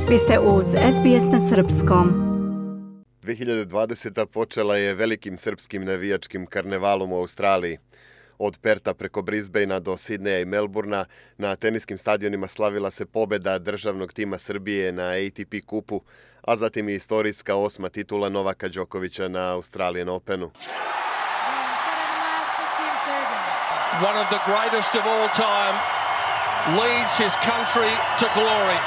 Vi ste uz SBS na srpskom. 2020. počela je velikim srpskim navijačkim karnevalom u Australiji. Od Perta preko Brisbanea do Sidneja i Melbourna na teniskim stadionima slavila se pobjeda državnog tima Srbije na ATP kupu, a zatim i istorijska 8. titula Novaka Đokovića na Australian Openu. One of the greatest of all time leads his country to glory.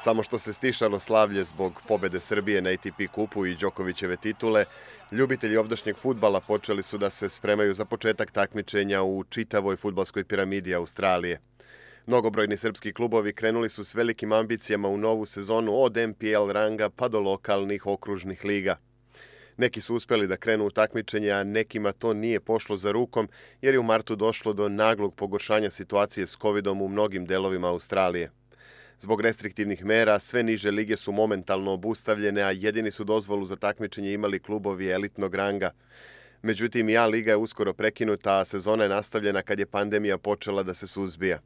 Samo što se stišalo slavlje zbog pobjede Srbije na ATP kupu i Đokovićeve titule, ljubitelji ovdašnjeg fudbala počeli su da se spremaju za početak takmičenja u čitavoj fudbalskoj piramidi Australije. Mnogobrojni srpski klubovi krenuli su s velikim ambicijama u novu sezonu od MPL ranga pa do lokalnih okružnih liga. Neki su uspjeli da krenu u takmičenje, a nekima to nije pošlo za rukom jer je u martu došlo do naglog pogoršanja situacije s covidom u mnogim delovima Australije. Zbog restriktivnih mera, sve niže lige su momentalno obustavljene, a jedini su dozvolu za takmičenje imali klubovi elitnog ranga. Međutim, i A liga je uskoro prekinuta, a sezona je nastavljena kad je pandemija počela da se suzbija.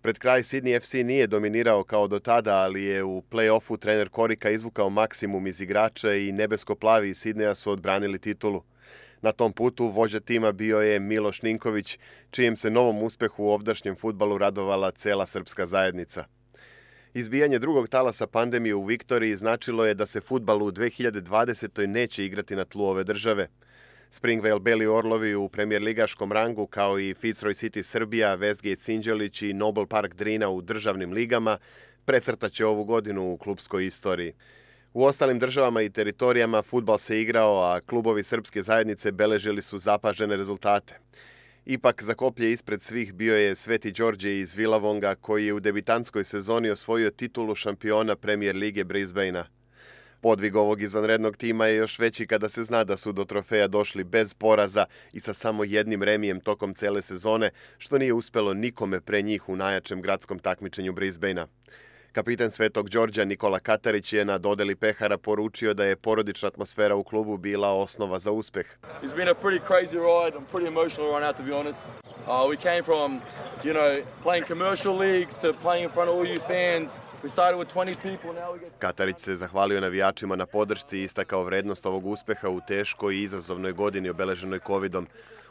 Pred kraj Sydney FC nije dominirao kao do tada, ali je u play-offu trener Korika izvukao maksimum iz igrača i nebesko-plavi iz Sidneja su odbranili titulu. Na tom putu vođa tima bio je Miloš Ninković, čijem se novom uspehu u ovdašnjem fudbalu radovala cela srpska zajednica. Izbijanje drugog talasa pandemije u Viktoriji značilo je da se fudbal u 2020. neće igrati na tlu ove države. Springvale Beli Orlovi u premijer ligaškom rangu, kao i Fitzroy City Srbija, Westgate Sinđelić i Noble Park Drina u državnim ligama, precrtaće ovu godinu u klubskoj istoriji. U ostalim državama i teritorijama fudbal se igrao, a klubovi srpske zajednice beležili su zapažene rezultate. Ipak za koplje ispred svih bio je Sveti Đorđe iz Villavonga, koji je u debitantskoj sezoni osvojio titulu šampiona Premier lige Brisbanea. Podvig ovog izvanrednog tima je još veći kada se zna da su do trofeja došli bez poraza i sa samo jednim remijem tokom cele sezone, što nije uspelo nikome pre njih u najjačem gradskom takmičenju Brisbanea. Kapitan Svetog Đorđa Nikola Katarić je na dodeli pehara poručio da je porodična atmosfera u klubu bila osnova za uspeh. It's been a pretty crazy ride. I'm pretty emotional right now, to be honest. We came from, playing commercial leagues to playing in front of all you fans. We started with 20 people, now we get... Katarić se zahvalio navijačima na podršci i istakao vrednost ovog uspeha u teškoj i izazovnoj godini obeleženoj covidom.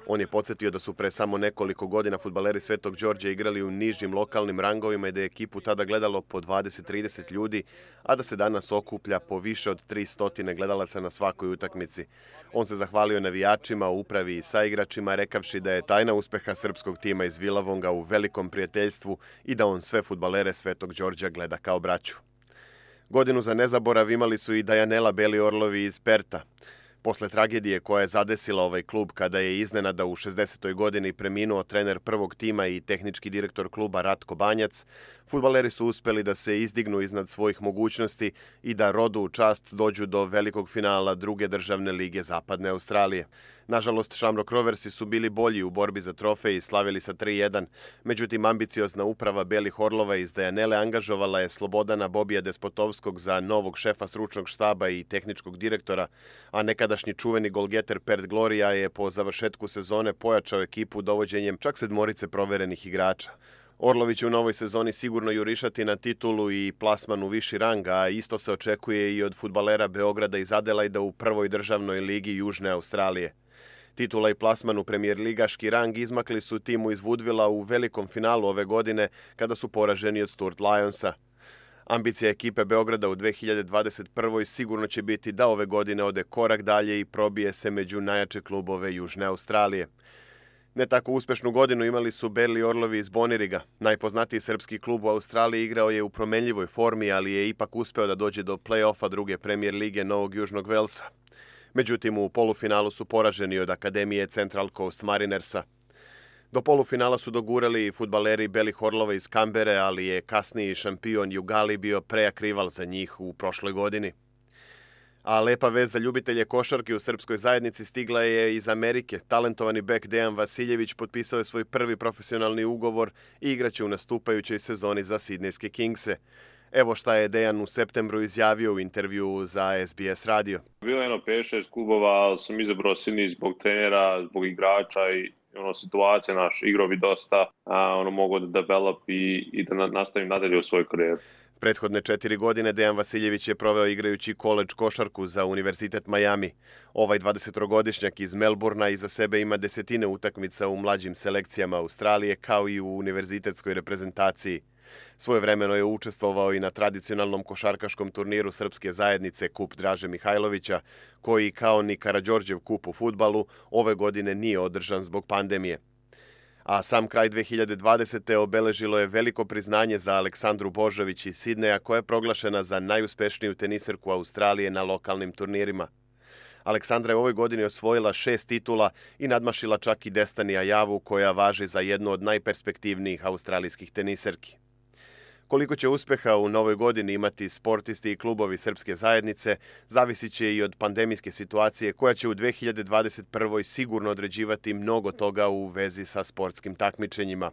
On je podsjetio da su pre samo nekoliko godina fudbaleri Svetog Đorđa igrali u nižim lokalnim rangovima i da je ekipu tada gledalo po 20-30 ljudi, a da se danas okuplja po više od 300 gledalaca na svakoj utakmici. On se zahvalio navijačima, upravi i saigračima, rekavši da je tajna uspeha srpskog tima iz Villavonga u velikom prijateljstvu i da on sve fudbalere Svetog Đorđa gleda kao braću. Godinu za nezaborav imali su i Dajanela Beli Orlovi iz Perta. Posle tragedije koja je zadesila ovaj klub kada je iznenada u 60. godini preminuo trener prvog tima i tehnički direktor kluba Ratko Banjac, fudbaleri su uspeli da se izdignu iznad svojih mogućnosti i da rodu u čast dođu do velikog finala druge državne lige Zapadne Australije. Nažalost, Shamrock Roversi su bili bolji u borbi za trofej i slavili sa 3-1, međutim ambiciozna uprava Belih Orlova iz Dajanele angažovala je Slobodana Bobija Despotovskog za novog šefa stručnog štaba i tehničkog direktora, a nekadašnji čuveni golgeter Pert Gloria je po završetku sezone pojačao ekipu dovođenjem čak 7 proverenih igrača. Orlovi će u novoj sezoni sigurno jurišati na titulu i plasman u viši rang, a isto se očekuje i od fudbalera Beograda iz Adelaida u prvoj državnoj ligi Južne Australije. Titula i plasman u premijer ligaški rang izmakli su timu iz Woodvilla u velikom finalu ove godine kada su poraženi od Stuart Lionsa. Ambicija ekipe Beograda u 2021. sigurno će biti da ove godine ode korak dalje i probije se među najjače klubove Južne Australije. Ne tako uspešnu godinu imali su Beli Orlovi iz Boniriga. Najpoznatiji srpski klub u Australiji igrao je u promenljivoj formi, ali je ipak uspeo da dođe do play-offa druge premijer lige Novog Južnog Velsa. Međutim, u polufinalu su poraženi od Akademije Central Coast Marinersa. Do polufinala su dogurali i fudbaleri Belih Orlova iz Kambere, ali je kasniji šampion Jugali bio prejak rival za njih u prošloj godini. A lepa vez za ljubitelje košarke u srpskoj zajednici stigla je iz Amerike. Talentovani bek Dejan Vasiljević potpisao je svoj prvi profesionalni ugovor i igraće u nastupajućoj sezoni za Sidnejske Kingse. Evo šta je Dejan u septembru izjavio u intervju za SBS radio. Bilo je 5-6 klubova, ali sam izabrao Sidney zbog trenera, zbog igrača i situacija naš igrao bi dosta, mogu da develop i da nastavim nadalje u svojoj karijeri. Prethodne 4 godine Dejan Vasiljević je proveo igrajući koledž košarku za Univerzitet Miami. Ovaj 20-godišnjak iz Melburna iza sebe ima desetine utakmica u mlađim selekcijama Australije kao i u univerzitetskoj reprezentaciji. Svojevremeno je učestvovao i na tradicionalnom košarkaškom turniru srpske zajednice Kup Draže Mihajlovića, koji kao ni Karađorđev kup u fudbalu ove godine nije održan zbog pandemije. A sam kraj 2020. obeležilo je veliko priznanje za Aleksandru Božović iz Sidneja, koja je proglašena za najuspešniju teniserku Australije na lokalnim turnirima. Aleksandra je u ovoj godini osvojila 6 titula i nadmašila čak i Destiny Ajavu, koja važi za jednu od najperspektivnijih australijskih teniserki. Koliko će uspeha u novoj godini imati sportisti i klubovi srpske zajednice, zavisit će i od pandemijske situacije koja će u 2021. sigurno određivati mnogo toga u vezi sa sportskim takmičenjima.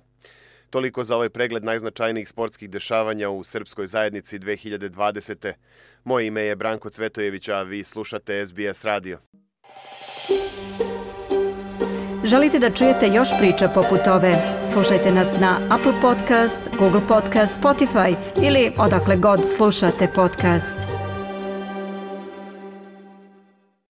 Toliko za ovaj pregled najznačajnijih sportskih dešavanja u srpskoj zajednici 2020. Moje ime je Branko Cvetojević, a vi slušate SBS radio. Želite da čujete još priča poput ove? Slušajte nas na Apple Podcast, Google Podcast, Spotify ili odakle god slušate podcast.